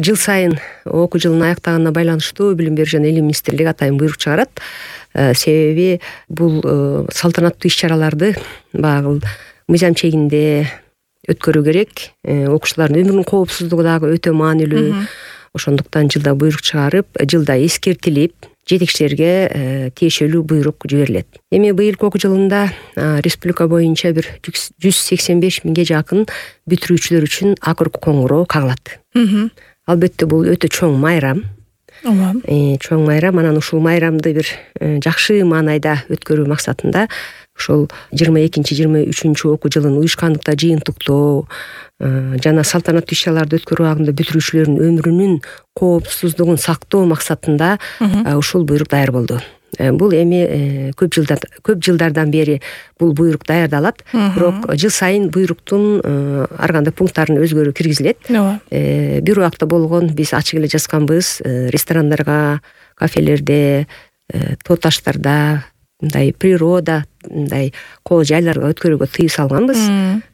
жыл сайын окуу жылынын аяктаганына байланыштуу Билим берүү жана Элим министрлиги атайын буйрук чыгарат. Себеби бул салтанаттуу иш-чараларды баягы мыйзам чегинде өткөрүү керек. Окуучулардын өмүрүнүн коопсуздугу дагы өтө маанилүү. Ошондуктан жылда буйрук чыгарып, жылда эскертилип, жетекчилерге тиешелүү буйрук жиберилет. Эми быйылкы окуу жылында республика боюнча бир 185 миңге жакын бүтүрүүчүлөр үчүн акыркы коңгуроо кагылат. Албетте бул өтө чоң майрам. Чоң майрам. Анан ушул майрамды бир жакшы маанайда өткөрүү максатында ошол 22-23 окуу жылын уюшкандыкта жыйынтыктоо жана салтанаттуу иш-чараларды өткөрүү абагында бүтүрүүчүлөрдүн өмүрүнүн коопсуздугун сактоо максатында ушул буйрук даяр болду. Бул эми көп жылдардан бери бул буйрук даярдалат. Бирок жыл сайын буйруктун ар кандай пункттарына өзгөрүү киргизилет. Бир убакта болгон биз ачык эле жазганбыз, ресторандарга, кафелерде, тоо таштарда, мындай природа, мындай кол жайларга өткөрүүгө тыюу салганбыз.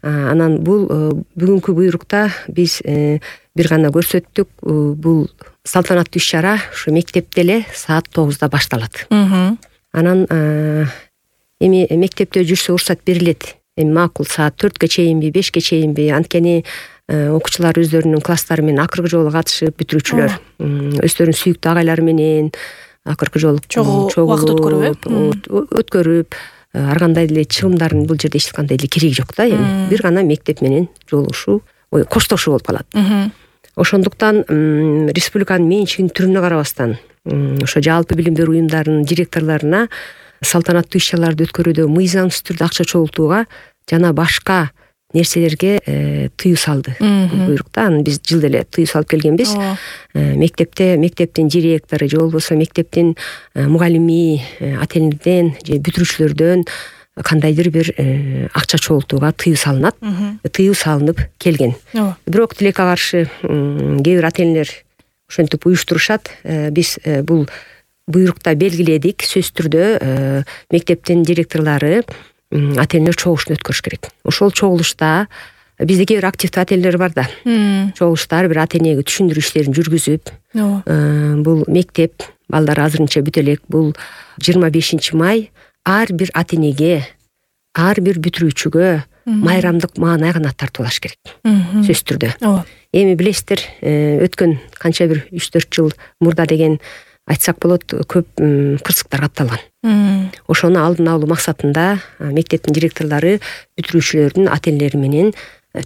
Анан бул бүгүнкү буйрукта биз бир гана көрсөттүк. Бул салтанаттуу иш-чара ушу мектепте эле саат 9-да башталат. Анан эми мектепте жүрсө уруксат берилет. Эми макул саат 4-кө чейинби, 5-ке чейинби, анткени окуучулар өздөрүнүн класстары менен акыркы жолу катышып, бүтүрүүчүлөр өздөрүнүн сүйүктүү агайлары менен акыркы жолу убакыт өткөрүп, ар кандай деле чыгымдардын бул жерде эч кандай деле кереги жок да. Эми бир гана мектеп менен жолугушуу, коштошуу болуп калат. Ошондуктан республиканын менчигинин түрүнө карабастан ошо жалпы билим берүү уюмдарынын директорлоруна салтанаттуу иш-чараларды өткөрүүдө мыйзамсыз түрдө акча чогултууга жана башка нерселерге тыюу салды буйрукта. Анан биз жылда эле тыюу салып келгенбиз. Мектептин директору же болбосо мектептин мугалими, ата-энелерден же бүтүрүүчүлөрдөн кандайдыр бир акча чогултууга тыюу салынат. Тыюу салынып келген. Бирок тилекке каршы кээ бир ата-энелер ошентип уюштурушат. Биз бул буйрукта белгиледик, сөзсүз түрдө мектептин директорлору ата-энелер чогулушун өткөрүш керек. Ошол чогулушта бизде кээ бир активдүү ата-энелер бар да. Чогулуштар бир ата-энеге түшүндүрүү иштерин жүргүзүп, бул мектеп балдар азырынча бүтө элек. Бул 25 май ар бир ата-энеге, ар бир бүтүрүүчүгө майрамдык маанай гана тартуулаш керек. Сөзсүз түрдө. Эми билесиздер, өткөн канча бир 3-4 жыл мурда деген айтсак болот, көп кырсыктар катталган. Ошону алдын алуу максатында мектептин директорлору бүтүрүүчүлөрдүн ата-энелери менен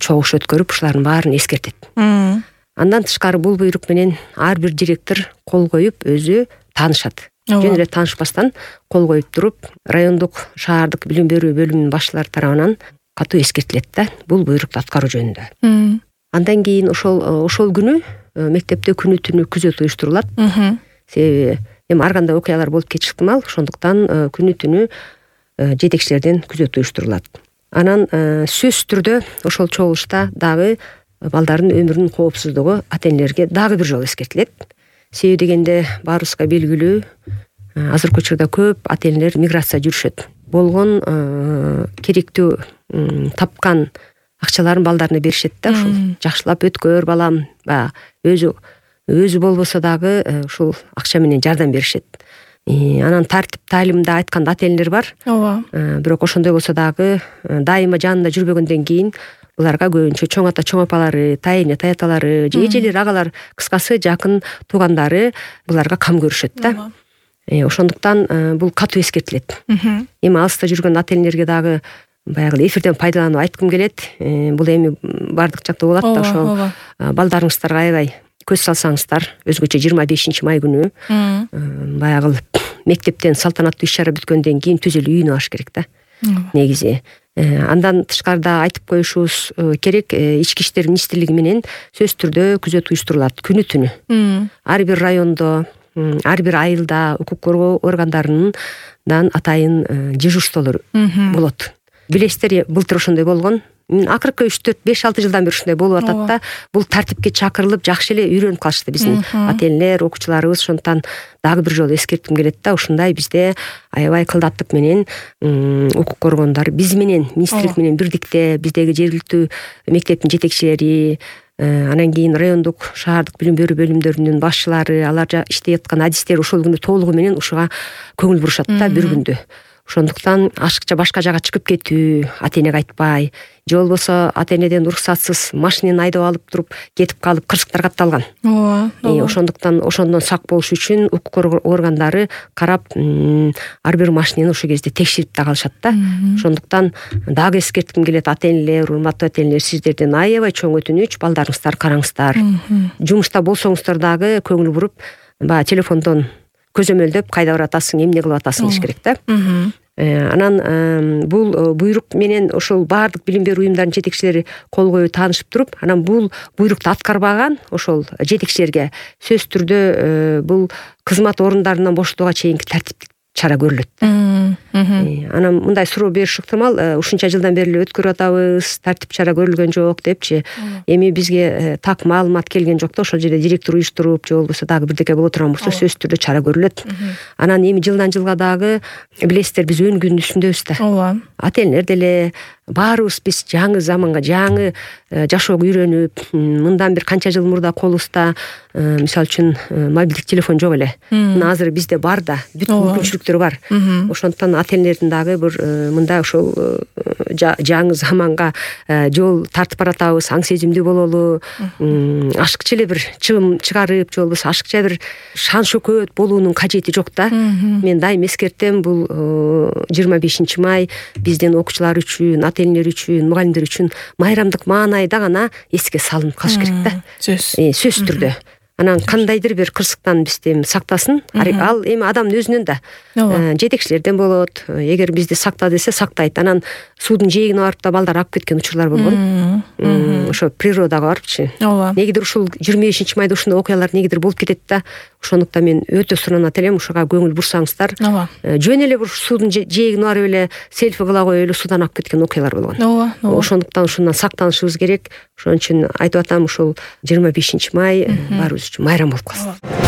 чогулуш өткөрүп, ушулардын баарын эскертет. Андан тышкары бул буйрук менен ар бир директор кол коюп өзү таанышат. Жөн эле таанышпастан кол коюп туруп, райондук, шаардык билим берүү бөлүмүнүн башчылары тарабынан катуу эскертилет да, бул буйрукту аткаруу жөнүндө. Андан кийин ошол күнү мектепте күнү түнү күзөт уюштурулат. Себеби эми ар кандай окуялар болуп кетиши ыктымал. Ошондуктан күнү түнү жетекчилерден күзөт уюштурулат. Анан сөзсүз түрдө ошол чогулушта дагы балдардын өмүрүнүн коопсуздугу ата-энелерге дагы бир жолу эскертилет. Себеби дегенде баарыбызга белгилүү, азыркы учурда көп ата-энелер миграция жүрүшөт. Болгон керектүү тапкан акчаларын балдарына беришет да. Ушул жакшылап өткөр балам, өзү болбосо дагы ушул акча менен жардам беришет. Анан тартип таалимда айткан ата-энелер бар. Бирок ошондой болсо дагы дайыма жанында жүрбөгөндөн кийин буларга көбүнчө чоң ата, чоң апалары, тайэне, таяталары, же эжелер, агалар, кыскасы жакын туугандары буларга кам көрүшөт да. Ошондуктан бул катуу эскертилет. Эми алыста жүргөн ата-энелерге дагы баягы эфирден пайдаланып айткым келет. Бул эми бардык жакта болот да. Ошо балдарыңыздарга аябай көз салсаңыздар, өзгөчө 25 май күнү баягы мектептен салтанаттуу иш-чара бүткөндөн кийин түз эле үйүнө барыш керек да. Негизи. Андан тышкарыда айтып коюшубуз керек, ички иштер министрлиги менен сөзсүз түрдө күзөт уюштурулат күнү түнү. Ар бир райондо, ар бир айылда укук коргоо органдарынан атайын дежурстволор болот. Билесиздер, былтыр ошондой болгон. Акыркы 3-4-5-6 жылдан бери ушундай болуп атат да. Бул тартипке чакырылып, жакшы эле үйрөнүп калышты биздин ата-энелер, окуучуларыбыз. Ошондуктан дагы бир жолу эскертим келет да. Ушундай бизде аябай кылдаттык менен укук коргоондар биз менен, министрлик менен бирдикте, биздеги жергиликтүү мектептин жетекчилери, анан кийин райондук шаардык билим берүү бөлүмдөрүнүн башчылары, алар иштеп аткан адистер ошол күнү толугу менен ушуга көңүл бурушат да бир күндө. Ошондуктан ашыкча башка жака чыгып кетүү, ата энеге айтпай, же болбосо ата энеден уруксатсыз машинени айдап алып туруп кетип калып кырсыктар катталган. Ошондуктан ошондон сак болуш үчүн укук органдары карап ар бир машинени ошол кезде текшерип да калышат да. Ошондуктан дагы эскертким келет, ата энелер, урматтуу ата энелер, сиздерден аябай чоң өтүнүч, балдарыңыздар караңыздар. Жумушта болсоңуздар дагы көңүл буруп, баягы телефондон көзөмөлдөп кайда баратасың, эмне кылып атасың деш керек да. Анан бул буйрук менен ошол баардык билим берүү уюмдарынын жетекчилери кол коюп таанышып туруп, анан бул буйрукту аткарбаган ошол жетекчилерге сөзсүз түрдө бул кызмат орундарынан бошотууга чейинки тартиптик чара көрүлөт. Анан мындай суроо бериш ыктымал, ушунча жылдан бери эле өткөрүп атабыз, тартип чара көрүлгөн жок депчи. Эми бизге так маалымат келген жок да, ошол жерде директор уюштуруп, же болбосо дагы бирдеке боло турган болсо сөзсүз түрдө чара көрүлөт. Анан эми жылдан жылга дагы билесиздер, биз өнгүнүн үстүндөбүз да. Ооба. Ата энелер деле баарыбыз биз жаңы заманга, жаңы жашоого үйрөнүп, мындан бир канча жыл мурда колубузда мисалы үчүн мобилдик телефон жок эле. Мына азыр бизде бар да, бүт мүмкүнчүлүктөр бар. Ошондуктан ата энелердин дагы бир мындай ошол жаңы заманга жол тартып баратабыз, аң сезимдүү бололу, ашыкча эле бир чыгым чыгарып, же болбосо ашыкча бир шан шөкөт болуунун кажети жок да. Мен дайым эскертем, бул 25 май биздин окуучулар үчүн, ата энелер үчүн, мугалимдер үчүн майрамдык маанайда гана эске салынып калыш керек да. Сөзсүз түрдө. Анан кандайдыр бир кырсыктан бизди сактасын. Ал эми адамдын өзүнөн да, жетекчилерден болот. Эгер бизди сакта десе сактайт. Анан суудун жээгине барып да балдар алып кеткен учурлар болгон. Ошо природага барыпчы. Негедир ушул 25 майда ушундай окуялар негедир болуп кетет да. Ошондуктан мен өтө суранат элем, ушуга көңүл бурсаңыздар. Жөн эле бир суудун жээгине барып эле селфи кыла коюп эле суудан алып кеткен окуялар болгон. Ошондуктан ушундан сактанышыбыз керек. Ошон үчүн айтып атам, ушул 25 май баарыбыз үчүн майрам болуп калсын.